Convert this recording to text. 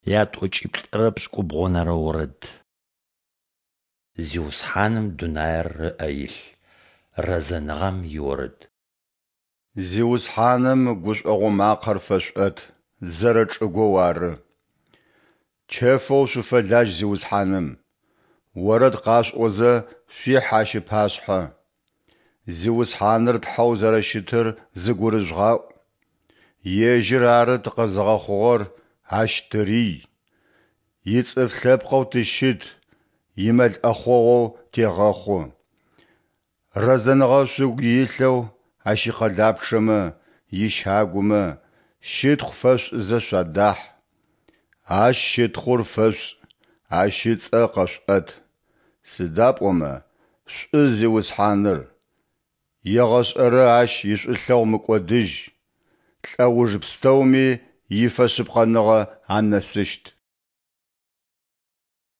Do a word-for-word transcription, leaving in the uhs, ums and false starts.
Ятӏокӏиплӏырэ пшӏыкӏубгъонэрэ орэд. Зиусхьаным дунаир ыӏэ илъ. Рэзэныгъэм иорэд. Зиусхьаным гушӏогъо макъэр фэшъуӏэт, зэрэчӏыгоу ары. Чэфэу шъуфэлажь Зиусхьаным, орэд къашъуӏозэ шъуихь Ащ ыпашъхьэ. Зиусхьаныр Тхьэу зэрэщытыр зыгурыжъугъаӏу. Ежьыр ары тыкъэзыгъэхъугъэр, Ащ тырий. Ицӏыф лъэпкъэу тыщыт, имэл ӏэхъогъоу тегъэхъу. Рэзэныгъэ шъугу илъэу Ащ икъэлапчъэмэ, ищагумэ, щытхъу фэшъушӏызэ шъуадахь. Ащ щытхъур фэшъушӏ, Ащ ыцӏэ къэшъуӏэт. Сыда пӏомэ шӏу Зиусхьаныр, егъэшӏэрэ Ащ ишӏулъэгъу мыкӏодыжь, лӏэуж пстэуми ифэшъыпкъэныгъэ анэсыщт.